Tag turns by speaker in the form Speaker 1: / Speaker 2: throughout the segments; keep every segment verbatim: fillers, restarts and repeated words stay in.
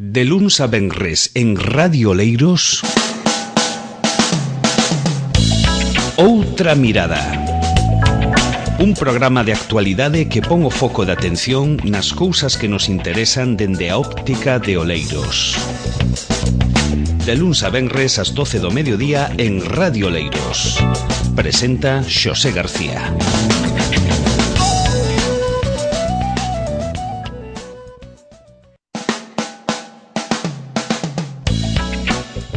Speaker 1: De luns a venres en Radio Oleiros, Outra Mirada. Un programa de actualidade que pon o foco de atención nas cousas que nos interesan dende a óptica de Oleiros. De luns a venres ás doce do mediodía en Radio Oleiros. Presenta Xosé García.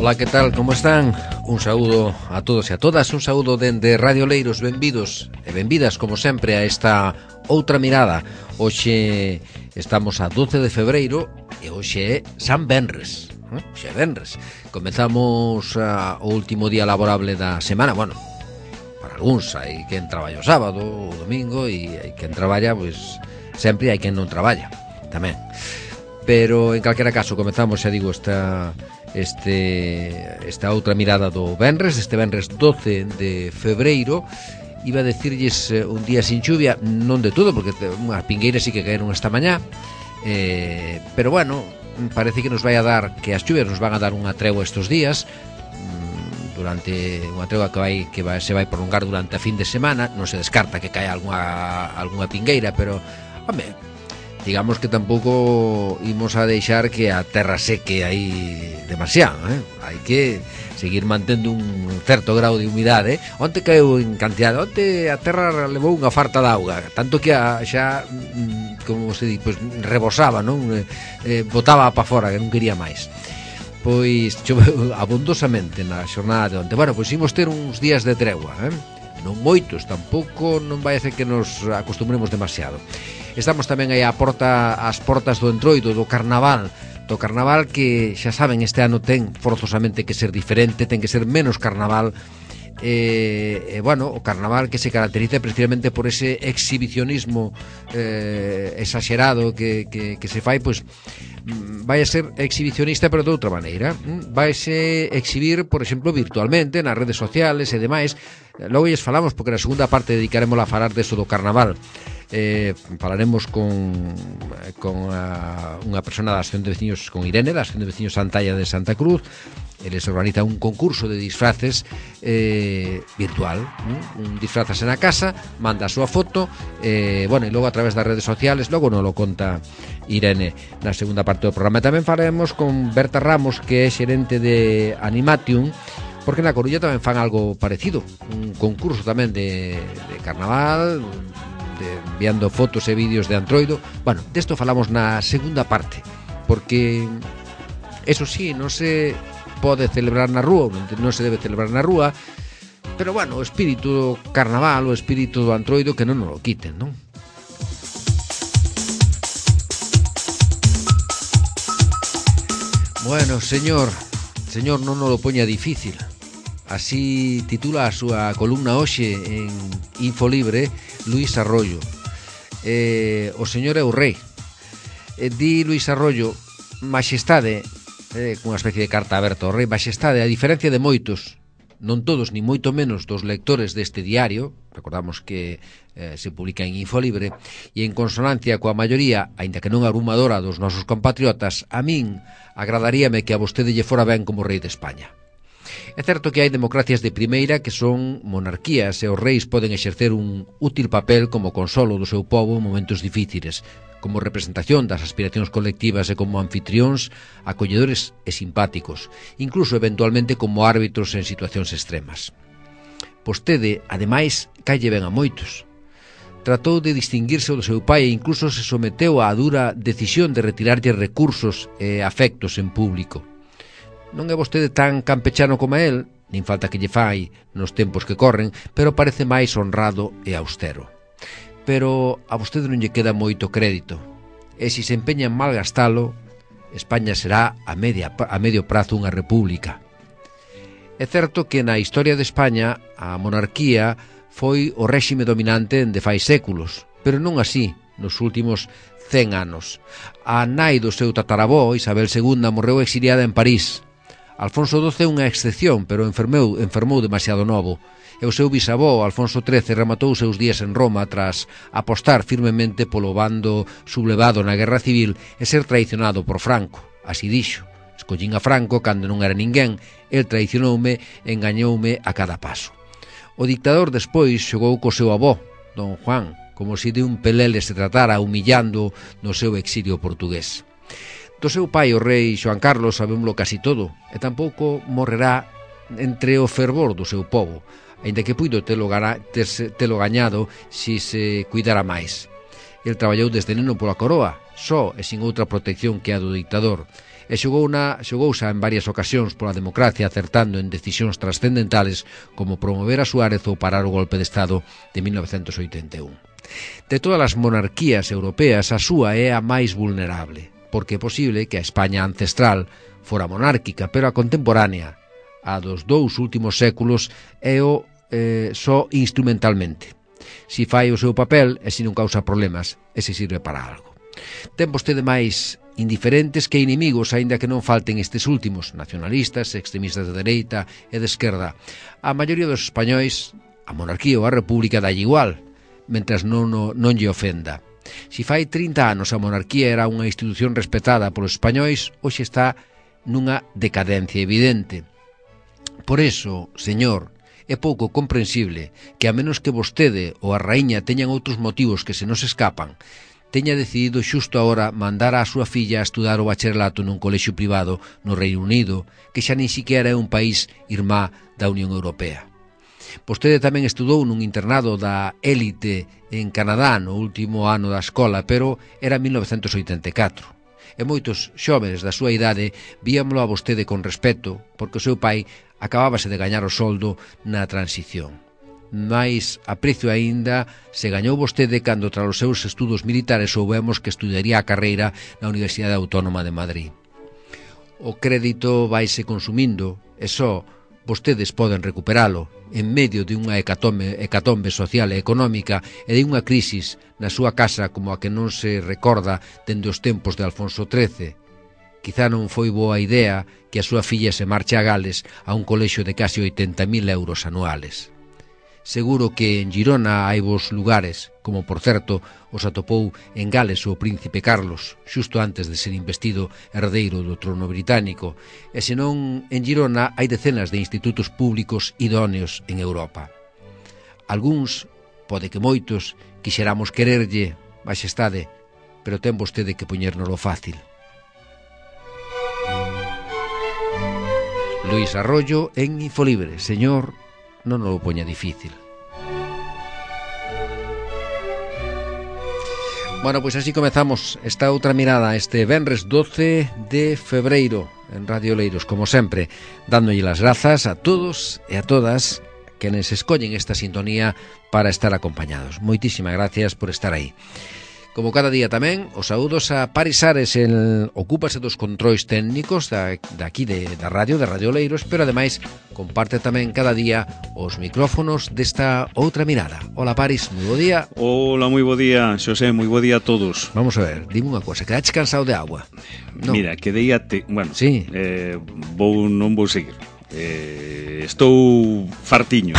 Speaker 2: Ola, que tal? Como están? Un saúdo a todos e a todas, un saúdo dende Radio Oleiros, benvidos e benvidas, como sempre, a esta Outra Mirada. Hoxe estamos a doce de febreiro e hoxe é San Venres. Hoxe é Venres. Comezamos uh, o último día laborable da semana. Bueno, para algúns hai quen traballa o sábado, o domingo, e hai quen traballa, pois, sempre hai quen non traballa, tamén. Pero, en calquera caso, comezamos, xa digo, esta... Este, esta outra mirada do Venres, este Venres doce de febreiro. Iba a decirlles eh, un día sin chuvia, non de todo, porque unhas pingueiras sí que caeron esta mañá, eh, pero bueno, parece que nos vai a dar, que as chuvias nos van a dar unha tregua estes días, durante unha tregua que vai que vai, se vai prolongar durante a fin de semana. Non se descarta que caia algunha, algunha pingueira, pero, home, digamos que tampouco imos a deixar que a terra seque aí demasiado, eh? Hai que seguir mantendo un certo grau de humidade. Onte caeu en cantidade, onte a terra levou unha farta de auga, tanto que a, xa, como se di, pues, rebosaba, non? Eh, botaba pa fora, que non quería máis. Pois choveu abondosamente na xornada de onte. Bueno, pois imos ter uns días de tregua, eh? Non moitos, tampouco non vai a ser que nos acostumbremos demasiado. Estamos tamén aí a porta, as portas do entroido do carnaval, do carnaval que, xa saben, este ano ten forzosamente que ser diferente, ten que ser menos carnaval. E, eh, bueno, o carnaval que se caracteriza precisamente por ese exhibicionismo eh, exagerado que, que, que se fai, pois vai a ser exhibicionista, pero de outra maneira. Vai se exhibir, por exemplo, virtualmente nas redes sociales e demais. Logo lles falamos, porque na segunda parte dedicaremos a falar deso do carnaval. Eh, falaremos con, con a, unha persona da Asociación de Veciños, con Irene, da Asociación de Veciños Santalla de Santa Cruz. Eles organizan un concurso de disfraces eh, virtual, ¿no? Un disfrazase na casa, manda a súa foto, eh, bueno, e logo a través das redes sociales, logo non lo conta Irene na segunda parte do programa. Tamén falaremos con Berta Ramos, que é xerente de Animatium, porque na Coruña tamén fan algo parecido, un concurso tamén de, de carnaval, de, enviando fotos e vídeos de Androido. Bueno, desto falamos na segunda parte, porque eso sí, non se pode celebrar na rúa, non se debe celebrar na rúa, pero bueno, o espírito do carnaval, o espírito do Androido, que non nos lo quiten, non? Bueno, señor, señor, non nos lo poña difícil. Así titula a súa columna hoxe en Infolibre Luís Arroyo. Eh, o señor é o rei. Eh, di Luís Arroyo: Maxestade, eh, cunha especie de carta aberta ao rei, Maxestade, a diferencia de moitos, non todos, ni moito menos dos lectores deste diario, recordamos que eh, se publica en Infolibre, e en consonancia coa maioría, aínda que non abrumadora, dos nosos compatriotas, a min agradaríame que a vostede lle fora ben como rei de España. É certo que hai democracias de primeira que son monarquías e os reis poden exercer un útil papel como consolo do seu pobo en momentos difíciles, como representación das aspiracións colectivas e como anfitrións acolledores e simpáticos, incluso eventualmente como árbitros en situacións extremas. Vostede, ademais, calle ben a moitos. Tratou de distinguirse do seu pai e incluso se someteu á dura decisión de retirarlle recursos e afectos en público. Non é vostede tan campechano como el, nin falta que lle fai nos tempos que corren, pero parece máis honrado e austero. Pero a vostede non lle queda moito crédito, e se se empeña en malgastalo, España será a, media, a medio prazo unha república. É certo que na historia de España a monarquía foi o réxime dominante de fai séculos, pero non así nos últimos cen anos. A nai do seu tataravó, Isabel segunda, morreu exiliada en París. Alfonso doce é unha excepción, pero enfermou, enfermou demasiado novo. E o seu bisavó, Alfonso trece, rematou os seus días en Roma tras apostar firmemente polo bando sublevado na Guerra Civil e ser traicionado por Franco. Así dixo: escollín a Franco cando non era ninguén, el traicionoume e engañoume a cada paso. O dictador despois xogou co seu avó, don Juan, como se de un pelele se tratara, humillando no seu exilio portugués. Do seu pai, o rei Xoán Carlos, sabémolo casi todo, e tampouco morrerá entre o fervor do seu povo, aínda que puido telo, gana, terse, telo gañado si se cuidara máis. El traballou desde neno pola coroa, só e sin outra protección que a do dictador, e xogou na, xogouse en varias ocasións pola democracia, acertando en decisións trascendentales como promover a Suárez ou parar o golpe de Estado de mil novecentos oitenta e un. De todas as monarquías europeas, a súa é a máis vulnerable, porque é posible que a España ancestral fora monárquica, pero a contemporánea, a dos dous últimos séculos, é o eh, só instrumentalmente. Si fai o seu papel e si non causa problemas, e se sirve para algo. Ten vostede máis indiferentes que inimigos, aínda que non falten estes últimos, nacionalistas, extremistas de dereita e de esquerda. A maioría dos españois, a monarquía ou a república dalle igual, mentras non, non, non lle ofenda. Si fai trinta anos a monarquía era unha institución respetada polos españois, hoxe está nunha decadencia evidente. Por eso, señor, é pouco comprensible que, a menos que vostede ou a raíña teñan outros motivos que se nos escapan, teña decidido xusto agora mandar á súa filla a estudar o bacharelato nun colexio privado no Reino Unido, que xa nin siquiera é un país irmá da Unión Europea. Vostede tamén estudou nun internado da élite en Canadá no último ano da escola, pero era mil novecentos oitenta e catro. E moitos xóvenes da súa idade víamolo a vostede con respeto, porque o seu pai acabábase de gañar o soldo na transición. Mais aprecio aínda se gañou vostede cando tras os seus estudos militares soubemos que estudaría a carreira na Universidade Autónoma de Madrid. O crédito vaise consumindo e só vostedes poden recuperalo en medio de unha hecatombe, hecatombe social e económica e de unha crisis na súa casa como a que non se recorda dende os tempos de Alfonso trece. Quizá non foi boa idea que a súa filla se marche a Gales a un colexio de casi oitenta mil euros anuales. Seguro que en Girona hai vos lugares, como por certo os atopou en Gales o príncipe Carlos, xusto antes de ser investido herdeiro do trono británico, e senón en Girona hai decenas de institutos públicos idóneos en Europa. Algúns, pode que moitos, quixeramos quererlle, maxestade, pero ten vostede que poñérnolo fácil. Luís Arroyo en Infolibre. Señor, non o poña difícil. Bueno, pois así comezamos esta outra mirada este venres doce de febreiro en Radio Oleiros, como sempre, dándolle las grazas a todos e a todas que nos escollen esta sintonía para estar acompañados. Moitísimas gracias por estar aí. Como cada día tamén, os saúdos a Paris Ares, el ocúpase dos controis técnicos da, da aquí de, da radio, de Radio Oleiros, pero ademais comparte tamén cada día os micrófonos desta outra mirada. Hola Paris, moi bo día.
Speaker 1: Hola, moi bo día, Xosé, moi bo día a todos.
Speaker 2: Vamos a ver, dime unha cosa, quedaches cansado de agua?
Speaker 1: No. Mira, quedei ate... Bueno,
Speaker 2: sí.
Speaker 1: eh, vou, non vou seguir. Eh, estou fartiño.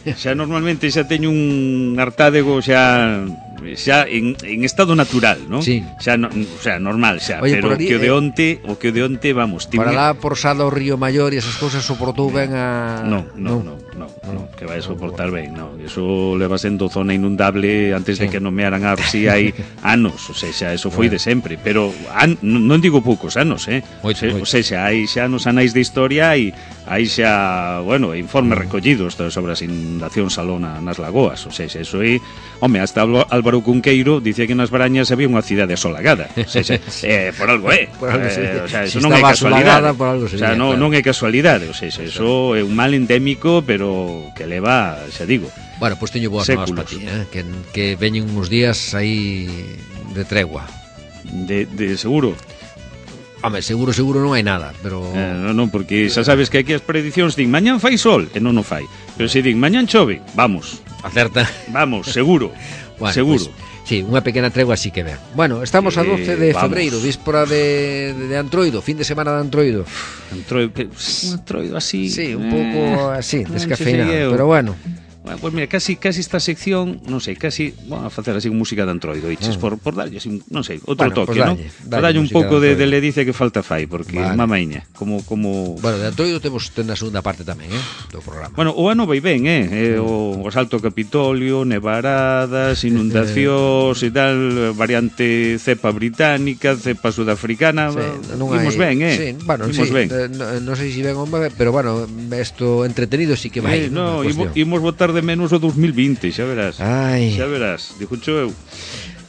Speaker 1: Xa normalmente xa teño un hartádego xa... xa en, en estado natural, ¿no?
Speaker 2: Sí.
Speaker 1: Xa, no, o sea, normal xa,
Speaker 2: Oye,
Speaker 1: pero
Speaker 2: ali,
Speaker 1: que o de
Speaker 2: eh,
Speaker 1: onte, o que o de onte, vamos,
Speaker 2: tiña... Para lá por Sada o Río Maior e esas cousas soportou ben a...
Speaker 1: No, no, no, no, no, no que vai soportar ben, no. Eso leva sendo zona inundable antes sí. de que nomearan a Orsí hai anos, o sea, xa, eso foi bueno. de sempre, pero an, non digo poucos anos, eh?
Speaker 2: Moito,
Speaker 1: o sea, xa, hai xa nos anais de historia e hai xa, bueno, informes recollidos sobre as inundacións alona nas lagoas, o sea, xa, eso é, home, hasta Álvaro Cunqueiro dicía que nas Brañas había unha cidade asolagada. O sea, eh, por algo é.
Speaker 2: Por algo,
Speaker 1: eh, o sea,
Speaker 2: si
Speaker 1: eso non é casualidade.
Speaker 2: Por algo sería,
Speaker 1: o sea, non,
Speaker 2: claro.
Speaker 1: non é casualidade. O sea, eso é un mal endémico, pero que leva, xa digo,
Speaker 2: bueno, pois pues teño boas novas para ti, eh? que, que veñen uns días aí de tregua.
Speaker 1: De, de seguro.
Speaker 2: Home, seguro, seguro non hai nada, pero...
Speaker 1: Eh, non, non, porque xa sabes que aquí as predicións din mañán fai sol, e non o fai. Pero se din mañán chove, vamos.
Speaker 2: Acerta.
Speaker 1: Vamos, seguro.
Speaker 2: Bueno,
Speaker 1: seguro.
Speaker 2: Pues, sí, unha pequena tregua así que vean. Bueno, estamos a doce de febreiro, víspora de, de, de Antroido, fin de semana de Antroido.
Speaker 1: Antroido, que, un Antroido así...
Speaker 2: Sí, un
Speaker 1: eh,
Speaker 2: pouco así, descafeinado,
Speaker 1: no
Speaker 2: pero bueno.
Speaker 1: Bueno, pues mira, casi casi esta sección, non sei, casi, bueno, a facer así música de Android, oiches, mm. por, por darlle así, non sei, outro
Speaker 2: bueno,
Speaker 1: toque,
Speaker 2: pues
Speaker 1: non? Para darlle un pouco de, de ledicia que falta fai, porque vale. Mamaiña, como, como...
Speaker 2: Bueno, de Android temos ten na segunda parte tamén, eh, do programa.
Speaker 1: Bueno, o ano vai ben, eh, eh o, o Salto Capitolio, nevaradas, inundacións e tal, variante cepa británica, cepa sudafricana, sí, non imos ben, eh?
Speaker 2: Sí, bueno,
Speaker 1: imos
Speaker 2: sí,
Speaker 1: ben.
Speaker 2: non no sei se ben ou ben, pero bueno, isto entretenido sí que vai.
Speaker 1: Eh, no, imos votar de menos o dos mil vinte, xa verás.
Speaker 2: Ai.
Speaker 1: Xa verás, dixucho eu.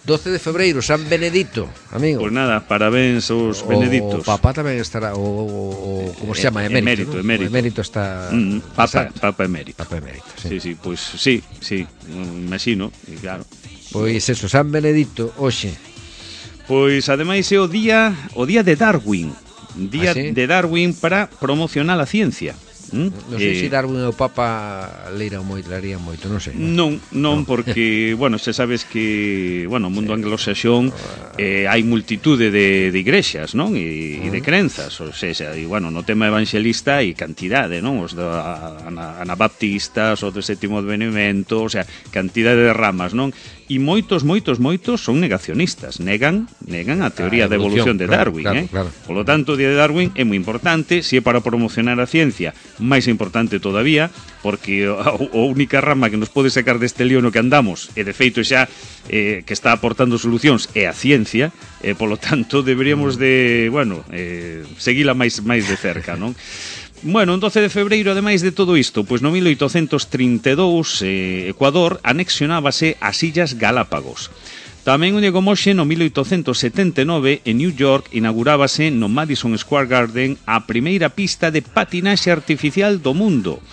Speaker 2: doce de febreiro, San Benedito, amigo.
Speaker 1: Pois pues nada, parabéns aos Beneditos.
Speaker 2: O Papa tamén estará, o, o, o como se chama, emérito,
Speaker 1: emérito,
Speaker 2: ¿no?
Speaker 1: emérito.
Speaker 2: O emérito está...
Speaker 1: Mm, papa, Papa emérito.
Speaker 2: Papa emérito, sí.
Speaker 1: Sí, sí, pois pues, sí, sí, imagino, e claro.
Speaker 2: Pois eso, San Benedito, hoxe.
Speaker 1: Pois ademais é o día, o día de Darwin. Día ¿Ah, sí? de Darwin para promocionar a ciencia.
Speaker 2: ¿Mm? Non sei eh, se Darwin e o Papa leira moito, lerían moito, non sei.
Speaker 1: Non, non, no. Porque, bueno, se sabes que, bueno, o mundo sí. anglosaxón eh, hai multitude de, de igrexas, non? E, uh -huh. e de crenzas, ou seja, e, bueno, no tema evangelista hai cantidade, non? Os da anabaptistas, os do sétimo advenimento, o sea, cantidade de ramas, non? E moitos, moitos, moitos son negacionistas, negan negan a teoría a da evolución de Darwin, claro, eh?
Speaker 2: Claro.
Speaker 1: Por lo tanto, o día de Darwin é moi importante, se é para promocionar a ciencia, máis importante todavía, porque a, a única rama que nos pode sacar deste lío no que andamos, e de feito xa eh, que está aportando solucións, é a ciencia, e polo tanto deberíamos de, bueno, eh, seguila máis máis de cerca, non? Bueno, en doce de febreiro, ademais de todo isto, pois no mil oitocentos trinta e dous, eh, Ecuador anexionábase as Illas Galápagos. Tamén un día como hoxe, no mil oitocentos setenta e nove, en New York, inaugurábase no Madison Square Garden a primeira pista de patinaxe artificial do mundo.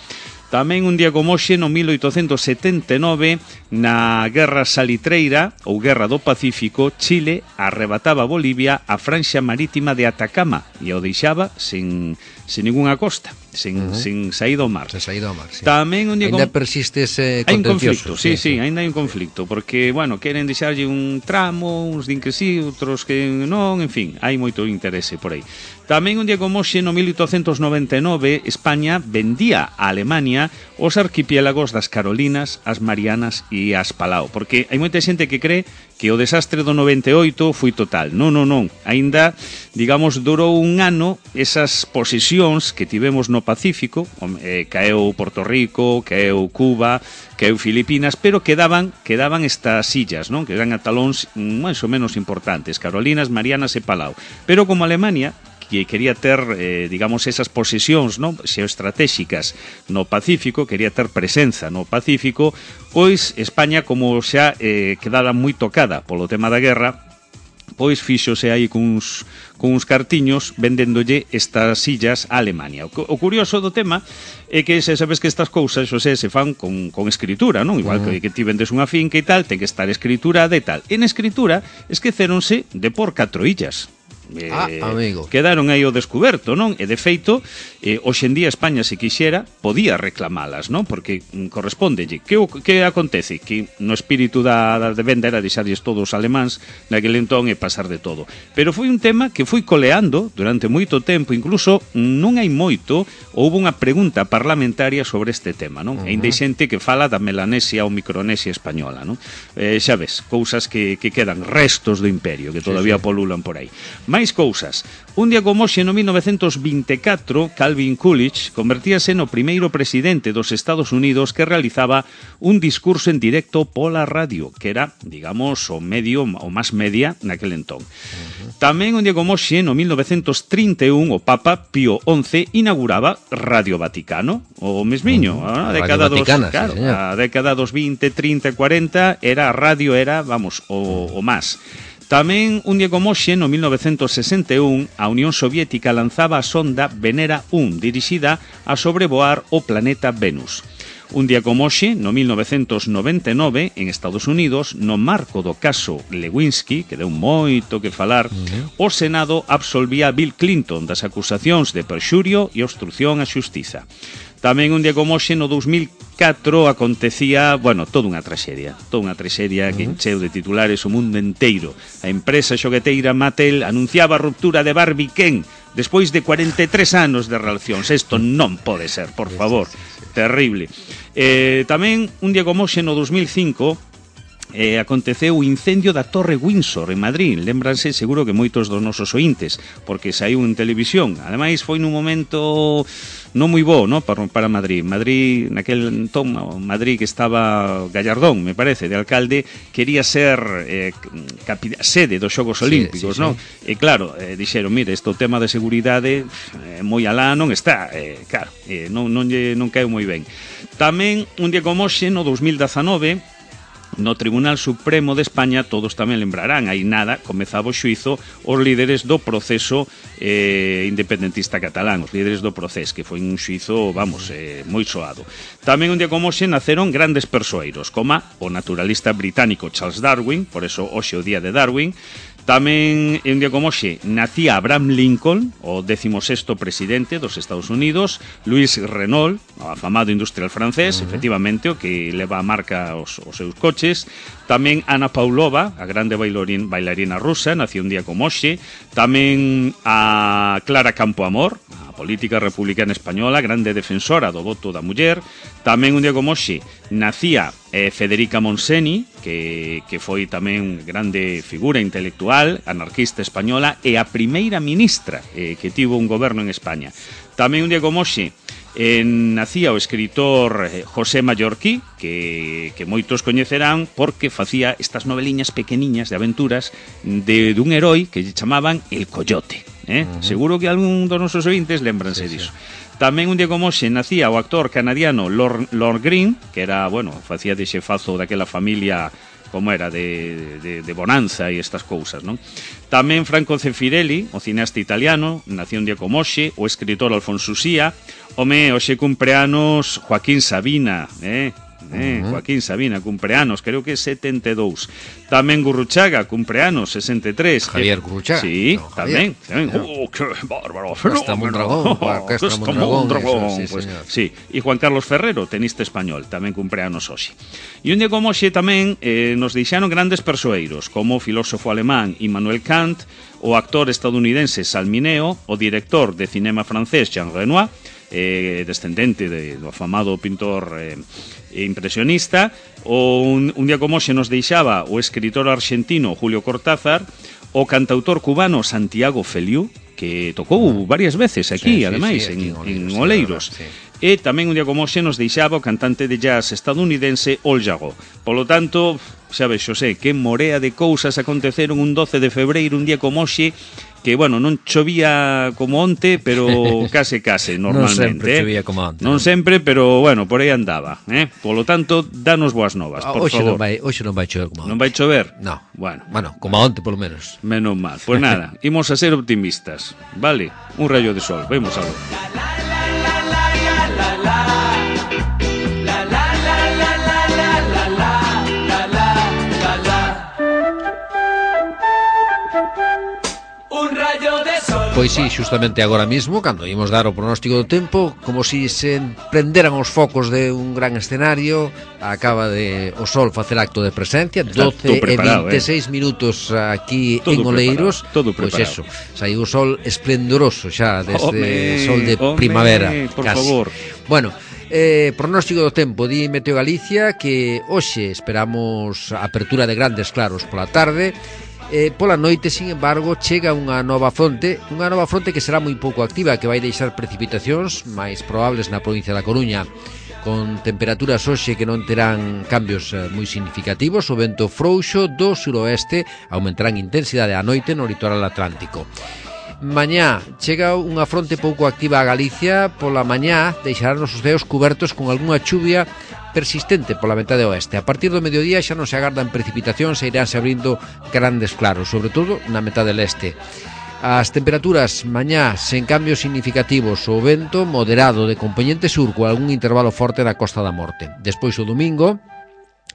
Speaker 1: Tamén un día como hoxe, no mil oitocentos setenta e nove, na Guerra Salitreira, ou Guerra do Pacífico, Chile arrebataba a Bolivia a franxa marítima de Atacama e o deixaba sen, sen ninguna costa, sen, uh -huh. sen saída ao mar.
Speaker 2: Sen saída ao mar, sí.
Speaker 1: Tamén un día
Speaker 2: ainda
Speaker 1: como...
Speaker 2: persiste ese
Speaker 1: hai un
Speaker 2: contencioso.
Speaker 1: conflicto, sí, sí, sí, ainda hai un conflicto, porque, bueno, queren deixarlle un tramo, uns din que sí, outros que non, en fin, hai moito interese por aí. Tamén un día como hoxe, no mil oitocentos noventa e nove, España vendía a Alemania os arquipiélagos das Carolinas, as Marianas e as Palau, porque hai moita xente que cree que o desastre do noventa e oito foi total. Non, non, non. Ainda, digamos, durou un ano esas posesións que tivemos no Pacífico, eh, caeu Porto Rico, caeu Cuba, caeu Filipinas, pero quedaban quedaban estas illas, non? Que eran atalóns máis ou menos importantes, Carolinas, Marianas e Palau. Pero como Alemania que quería ter, eh, digamos, esas posesións, non, xeoestratégicas no Pacífico, quería ter presenza no Pacífico, pois España, como xa eh, quedara moi tocada polo tema da guerra, pois fíxose aí cuns, cuns cartiños vendéndolle estas illas a Alemania. O, o curioso do tema é que se sabes que estas cousas, xosé, se fan con, con escritura, non? Igual que, que ti vendes unha finca e tal, ten que estar escriturada e tal. En escritura, esqueceronse de por catro illas. Eh,
Speaker 2: ah, amigo.
Speaker 1: Quedaron aí ao descoberto, non? E de feito, eh, hoxe en día España, se quixera, podía reclamalas, non? Porque mm, correspóndelle. Que, que acontece? Que no espírito da, da de venda era deixarlles todos os alemáns naquele entón e pasar de todo. Pero foi un tema que foi coleando durante moito tempo, incluso non hai moito, houve unha pregunta parlamentaria sobre este tema, non? Uh -huh. E ainda hai xente que fala da Melanesia ou Micronesia española, non? Eh, xa ves, cousas que, que quedan, restos do imperio, que todavía sí, sí. polulan por aí. Máis cousas. Un día como hoxe, no mil novecentos vinte e catro, Calvin Coolidge convertíase no primeiro presidente dos Estados Unidos que realizaba un discurso en directo pola radio, que era, digamos, o medio, o máis media naquel entón. Uh -huh. Tamén un día como hoxe, no mil novecentos trinta e un, o Papa Pío once inauguraba Radio Vaticano, o mesmiño, uh -huh. a década dos,
Speaker 2: Vaticana,
Speaker 1: claro,
Speaker 2: sí,
Speaker 1: a década dos vinte, trinta, cuarenta, era a radio, era, vamos, o, o máis. Tamén, un día como hoxe, no mil novecentos sesenta e un, a Unión Soviética lanzaba a sonda Venera uno, dirixida a sobrevoar o planeta Venus. Un día como hoxe, no mil novecentos noventa e nove, en Estados Unidos, no marco do caso Lewinsky, que deu moito que falar, uh-huh. o Senado absolvía a Bill Clinton das acusacións de perxurio e obstrucción á xustiza. Tamén un día como hoxe, no dous mil catro, acontecía, bueno, toda unha traxedia, toda unha traxedia que encheu de titulares o mundo enteiro. A empresa xogueteira Mattel anunciaba a ruptura de Barbie Ken despois de cuarenta e tres anos de relacións. Isto non pode ser, por favor, terrible. Eh, tamén un día como hoxe, no dous mil cinco, Eh, aconteceu o incendio da Torre Windsor en Madrid. Lémbranse seguro que moitos dos nosos ointes, porque saiu en televisión. Ademais foi nun momento non moi bo, no, para, para Madrid. Madrid, naquel tomo, Madrid que estaba Gallardón, me parece, de alcalde, quería ser eh, capi- sede dos Xogos Olímpicos, sí, sí, no? Sí. E claro, eh, dixeron, mire, este tema de seguridade eh, moi alá non está, eh, claro, eh, non, non, non caeu moi ben. Tamén un día como hoxe, no dous mil dezanove, no Tribunal Supremo de España, todos tamén lembrarán, aí nada, comezaba o xuizo os líderes do proceso eh, independentista catalán, os líderes do proceso, que foi un xuizo, vamos, eh, moi soado. Tamén un día como hoxe naceron grandes persoeiros, como o naturalista británico Charles Darwin, por eso hoxe o día de Darwin. Tamén, un día como hoxe, nacía Abraham Lincoln, o décimo sexto presidente dos Estados Unidos, Louis Renault, o afamado industrial francés, uh-huh. efectivamente, o que leva a marca os, os seus coches. Tamén Ana Paulova, a grande bailarín, bailarina rusa, nació un día como hoxe. Tamén a Clara Campoamor, a política republicana española, grande defensora do voto da muller. Tamén un día como hoxe nacía eh, Federica Monseni, que, que foi tamén grande figura intelectual, anarquista española, e a primeira ministra eh, que tivo un goberno en España. Tamén un día como hoxe eh, nacía o escritor eh, José Mallorquí, que, que moitos coñecerán porque facía estas noveliñas pequeniñas de aventuras de dun heroi que lle chamaban El Coyote. Eh? Uh-huh. Seguro que algún dos nosos ointes lembranse sí, diso. Sí. Tamén un día como hoxe nacía o actor canadiano Lord, Lord Green, que era, bueno, facía de xefazo daquela familia, como era, de, de, de Bonanza e estas cousas, non? Tamén Franco Zeffirelli, o cineasta italiano, nació un día como hoxe, o escritor Alfonso Usía. Home, hoxe cumpleanos Joaquín Sabina, eh? Eh, uh-huh. Joaquín Sabina, cumpleanos, creo que setenta e dous. Tamén Gurruchaga, cumpleanos, sesenta e tres.
Speaker 2: Javier Gurruchaga.
Speaker 1: Sí,
Speaker 2: no,
Speaker 1: tamén, tamén.
Speaker 2: No.
Speaker 1: Oh, qué bárbaro.
Speaker 2: Orquesta Mondragón, Orquesta Mondragón.
Speaker 1: Sí, pues, sí. E Juan Carlos Ferrero, tenista español, tamén cumpleanos hoxe. E un día como hoxe tamén eh, nos deixaron grandes persoeiros, como o filósofo alemán Immanuel Kant, o actor estadounidense Salmineo, o director de cinema francés Jean Renoir, eh, descendente de, do afamado pintor eh, impresionista. O un, un día como hoxe nos deixaba o escritor argentino Julio Cortázar, o cantautor cubano Santiago Feliú, que tocou varias veces aquí, sí, ademais, sí, sí, aquí en, en Oleiros. Sí. E tamén un día como hoxe nos deixaba o cantante de jazz estadounidense Al Jarreau. Polo tanto, xa vexo, sei, que morea de cousas aconteceron un doce de febreiro, un día como hoxe, que, bueno, non chovía como onte, pero case case, normalmente.
Speaker 2: Non sempre chovía como onte.
Speaker 1: Non sempre, pero, bueno, por aí andaba, eh? Polo tanto, danos boas novas, por
Speaker 2: oxe
Speaker 1: favor.
Speaker 2: Non vai, oxe non vai chover como onte.
Speaker 1: Non vai chover?
Speaker 2: No.
Speaker 1: Bueno,
Speaker 2: bueno, como onte, polo menos.
Speaker 1: Menos mal. Pues nada, imos a ser optimistas, vale? Un rayo de sol, vemos a ver.
Speaker 2: Pois sí, justamente agora mismo, cando imos dar o pronóstico do tempo, como si se prenderan os focos de un gran escenario, acaba de o sol facer acto de presencia, doce e vinte e seis eh. minutos aquí todo en Oleiros, pois pues eso, saiu o sol esplendoroso xa desde ome, sol de ome, primavera,
Speaker 1: por
Speaker 2: casi.
Speaker 1: Favor.
Speaker 2: Bueno, Eh, pronóstico do tempo, di Meteo Galicia que hoxe esperamos a apertura de grandes claros pola tarde. Eh, pola noite, sin embargo, chega unha nova fronte, unha nova fronte que será moi pouco activa, que vai deixar precipitacións máis probables na provincia da Coruña, con temperaturas hoxe que non terán cambios eh, moi significativos. O vento frouxo do suroeste aumentará en intensidade a noite no litoral atlántico. Mañá chega unha fronte pouco activa a Galicia. Pola mañá deixarán os ceos cubertos con algunha chuvia persistente pola metade oeste. A partir do mediodía xa non se agardan precipitacións e iránse abrindo grandes claros, sobre todo na metade leste. As temperaturas mañá sen cambios significativos, o vento moderado de compoñente sur con algún intervalo forte na Costa da Morte. Despois o domingo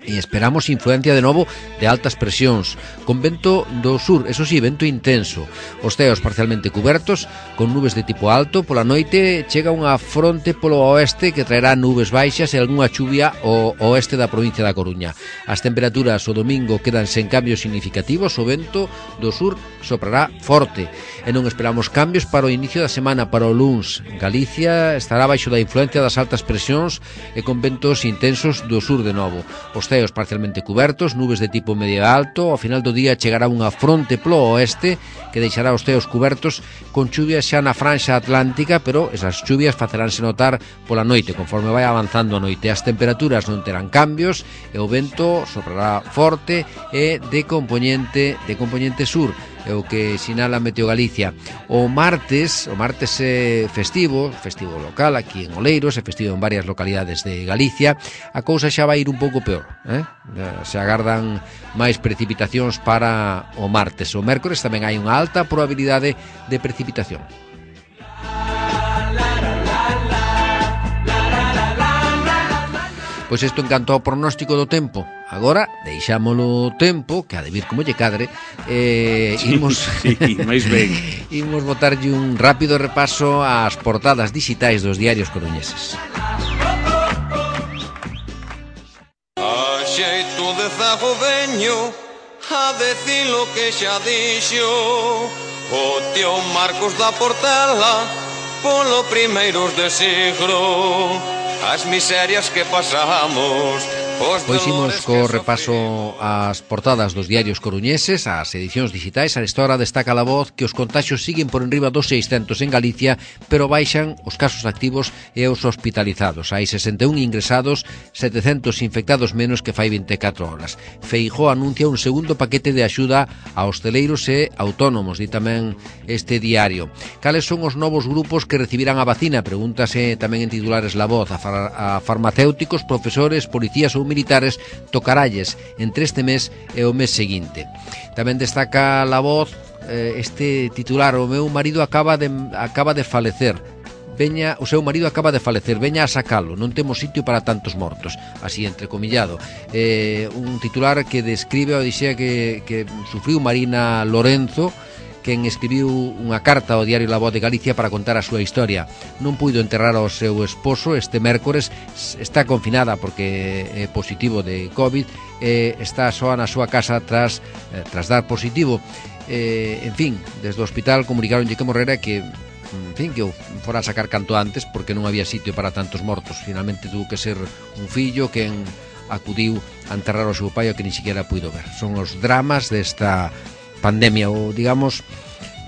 Speaker 2: e esperamos influencia de novo de altas presións, con vento do sur, eso sí, vento intenso. Os ceos parcialmente cubertos, con nubes de tipo alto. Pola noite chega unha fronte polo oeste que traerá nubes baixas e algunha chuvia ao oeste da provincia da Coruña. As temperaturas o domingo quedan sen cambios significativos, o vento do sur soprará forte e non esperamos cambios para o inicio da semana. Para o luns, Galicia estará baixo da influencia das altas presións e con ventos intensos do sur de novo. Os ceos parcialmente cubertos, nubes de tipo medio alto. Ao final do día chegará unha fronte polo oeste que deixará os ceos cubertos con chuvias xa na franxa atlántica, pero esas chuvias faceránse notar pola noite conforme vai avanzando a noite. As temperaturas non terán cambios e o vento soprará forte e de componente de componente sur, é o que sinala Meteo Galicia. O martes, o martes é festivo, festivo local aquí en Oleiros, é festivo en varias localidades de Galicia. A cousa xa vai ir un pouco peor, eh? Se agardan máis precipitacións para o martes. O mércores tamén hai unha alta probabilidade de precipitación. Pois isto en canto ao pronóstico do tempo. Agora, deixámolo tempo, que ha de vir como lle cadre, eh, imos,
Speaker 1: sí, máis ben.
Speaker 2: Imos botarlle un rápido repaso ás portadas digitais dos diarios coruñeses.
Speaker 3: A xeito de zago veño a decir lo que xa dixo o tío Marcos da Portela polo primeiros de siglo. As miserias que pasamos.
Speaker 2: Pois imos co repaso ás portadas dos diarios coruñeses, ás edicións digitais. A esta hora destaca La Voz que os contaxios siguen por enriba dos seiscentos en Galicia, pero baixan os casos activos e os hospitalizados. Hai sesenta e un ingresados, setecentos infectados menos que fai vinte e catro horas. Feijóo anuncia un segundo paquete de axuda a hosteleiros e autónomos, di tamén este diario. Cales son os novos grupos que recibirán a vacina? Pregúntase tamén en titulares La Voz. A, far a farmacéuticos, profesores, policías ou militares tocaralles entre este mes e o mes seguinte. Tamén destaca La Voz eh, este titular: o meu marido acaba de acaba de falecer. Veña, o seu marido acaba de falecer, veña a sacalo, non temos sitio para tantos mortos. Así entrecomillado. Eh, un titular que describe a odisea que, que sufriu Marina Lorenzo, quen escribiu unha carta ao diario La Voz de Galicia para contar a súa historia. Non puido enterrar ao seu esposo este mércores, está confinada porque é positivo de COVID, e está soa na súa casa tras, eh, tras dar positivo. Eh, en fin, desde o hospital comunicaronlle que morrera, que en fin, que o fora a sacar canto antes porque non había sitio para tantos mortos. Finalmente tuvo que ser un fillo quen acudiu a enterrar ao seu pai, o que ni siquiera puido ver. Son os dramas desta pandemia, o digamos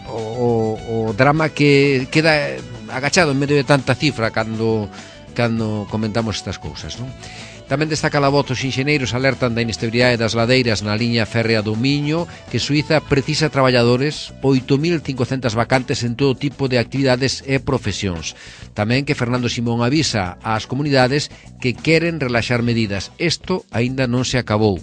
Speaker 2: o, o, o drama que queda agachado en medio de tanta cifra cando cando comentamos estas cousas, non? Tamén destaca La Voz: os enxeneiros alertan da inestabilidade das ladeiras na liña férrea do Miño, que Suiza precisa traballadores, oito mil cincocentas vacantes en todo tipo de actividades e profesións. Tamén que Fernando Simón avisa ás comunidades que queren relaxar medidas. Isto aínda non se acabou.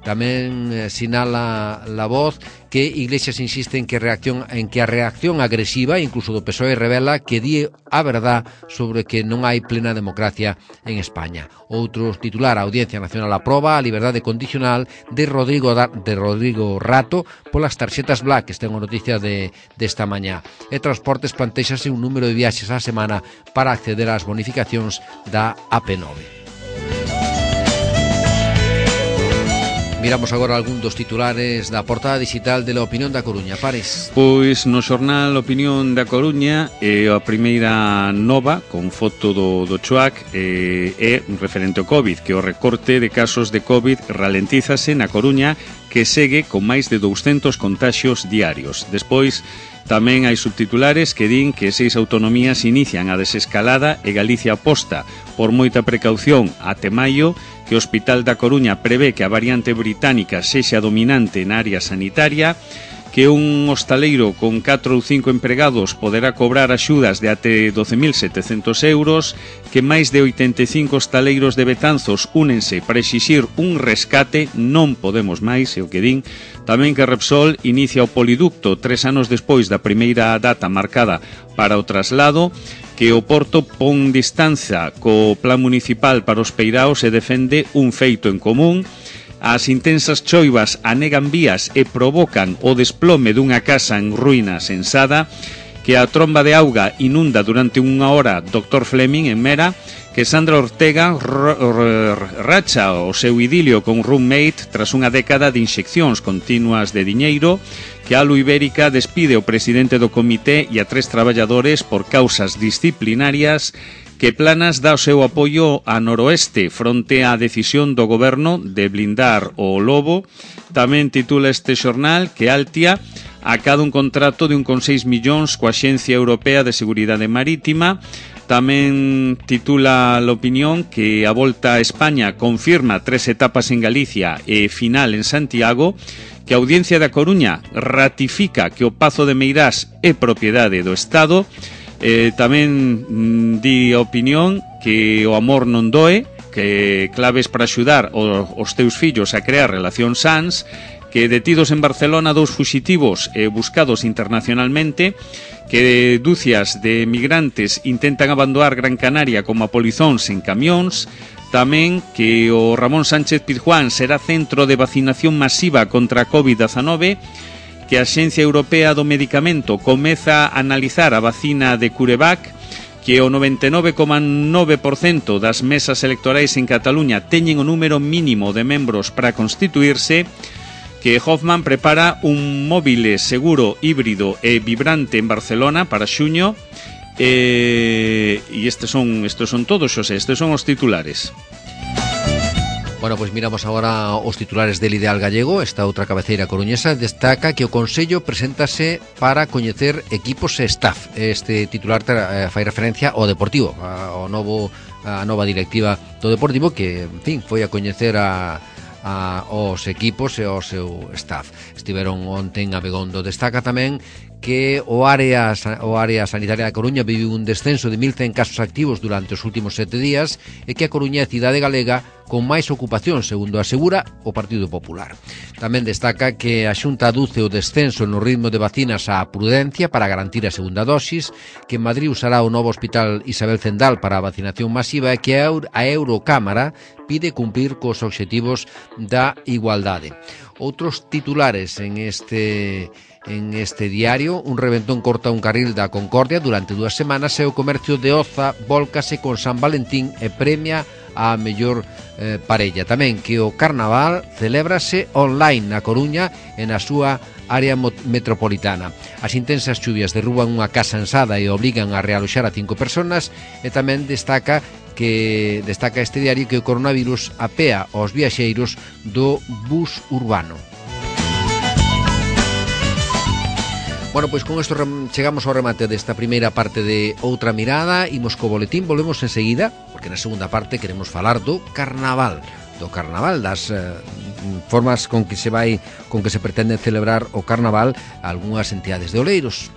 Speaker 2: Tamén eh, sinala La Voz que Iglesias insiste en que reacción en que a reacción agresiva, incluso do P S O E, revela que di a verdad sobre que non hai plena democracia en España. Outro titular: a Audiencia Nacional aproba a liberdade condicional de Rodrigo da, de Rodrigo Rato polas tarxetas Black. Esta é unha noticia de desta mañá. E Transportes plantéxase un número de viaxes á semana para acceder ás bonificacións da A P nove. Miramos agora algún dos titulares da portada digital de La Opinión da Coruña. Pares.
Speaker 1: Pois no xornal Opinión da Coruña é a primeira nova con foto do, do Chuac eh, é referente ao COVID, que o recorte de casos de COVID ralentízase na Coruña, que segue con máis de douscentos contaxios diarios. Despois tamén hai subtitulares que din que seis autonomías inician a desescalada e Galicia aposta por moita precaución até maio, que o Hospital da Coruña prevé que a variante británica sexa dominante na área sanitaria, que un hostaleiro con catro ou cinco empregados poderá cobrar axudas de até doce mil setecentos euros, que máis de oitenta e cinco hostaleiros de Betanzos únense para exixir un rescate, non podemos máis, é o que din. Tamén que Repsol inicia o poliducto tres anos despois da primeira data marcada para o traslado, que o Porto pon distancia co plan municipal para os peiraos e defende un feito en común. As intensas choivas anegan vías e provocan o desplome dunha casa en ruínas en Sada, que a tromba de auga inunda durante unha hora doctor Fleming en Mera, que Sandra Ortega racha o seu idilio con roommate tras unha década de inxeccións continuas de diñeiro, que a Alu Ibérica despide o presidente do comité e a tres traballadores por causas disciplinarias, que Planas dá o seu apoio a Noroeste fronte á decisión do goberno de blindar o lobo. Tamén titula este xornal que Altia acada un contrato de un con seis millóns coa Axencia Europea de Seguridade Marítima. Tamén titula a Opinión que a Volta a España confirma tres etapas en Galicia e final en Santiago, que a Audiencia da Coruña ratifica que o Pazo de Meirás é propiedade do Estado. Eh, tamén mm, di a Opinión que o amor non doe, que claves para axudar o, os teus fillos a crear relacións sans, que detidos en Barcelona dous fuxitivos eh, buscados internacionalmente, que dúcias de migrantes intentan abandonar Gran Canaria como a polizóns en camións. Tamén que o Ramón Sánchez Pizjuán será centro de vacinación masiva contra a covid diecinueve, que a Axencia Europea do Medicamento comeza a analizar a vacina de CureVac, que o noventa e nove coma nove por cento das mesas electorais en Cataluña teñen o número mínimo de membros para constituirse, que Hoffman prepara un móvil seguro, híbrido e vibrante en Barcelona para xuño, e, e estes son, estes son todos, Xosé, estes son os titulares.
Speaker 2: Bueno, pois miramos agora os titulares del Ideal Gallego. Esta outra cabeceira coruñesa destaca que o Consello preséntase para coñecer equipos e staff. Este titular eh, fai referencia ao Deportivo, ao novo, a nova directiva do Deportivo, que, en fin, foi a coñecer a a os equipos e ao seu staff. Estiveron onte en Abegondo. Destaca tamén que o área, o área sanitaria da Coruña vive un descenso de mil cen casos activos durante os últimos sete días e que a Coruña é a cidade galega con máis ocupación, segundo asegura o Partido Popular. Tamén destaca que a Xunta aduce o descenso no ritmo de vacinas á prudencia para garantir a segunda dosis, que en Madrid usará o novo Hospital Isabel Zendal para a vacinación masiva e que a Eurocámara pide cumplir cos obxectivos da igualdade. Outros titulares en este en este diario: un reventón corta un carril da Concordia durante dúas semanas e o comercio de Oza vólcase con San Valentín e premia a mellor eh, parella. Tamén que o Carnaval celébrase online na Coruña e na súa área metropolitana. As intensas chuvias derruban unha casa ensada e obrigan a realoxar a cinco personas, e tamén destaca que destaca este diario que o coronavirus apea aos viaxeiros do bus urbano. Bueno, pois con isto chegamos ao remate desta primeira parte de Outra Mirada. Imos co boletín, volvemos enseguida, porque na segunda parte queremos falar do Carnaval, do Carnaval, das eh, formas con que se vai, con que se pretende celebrar o Carnaval algunhas entidades de Oleiros.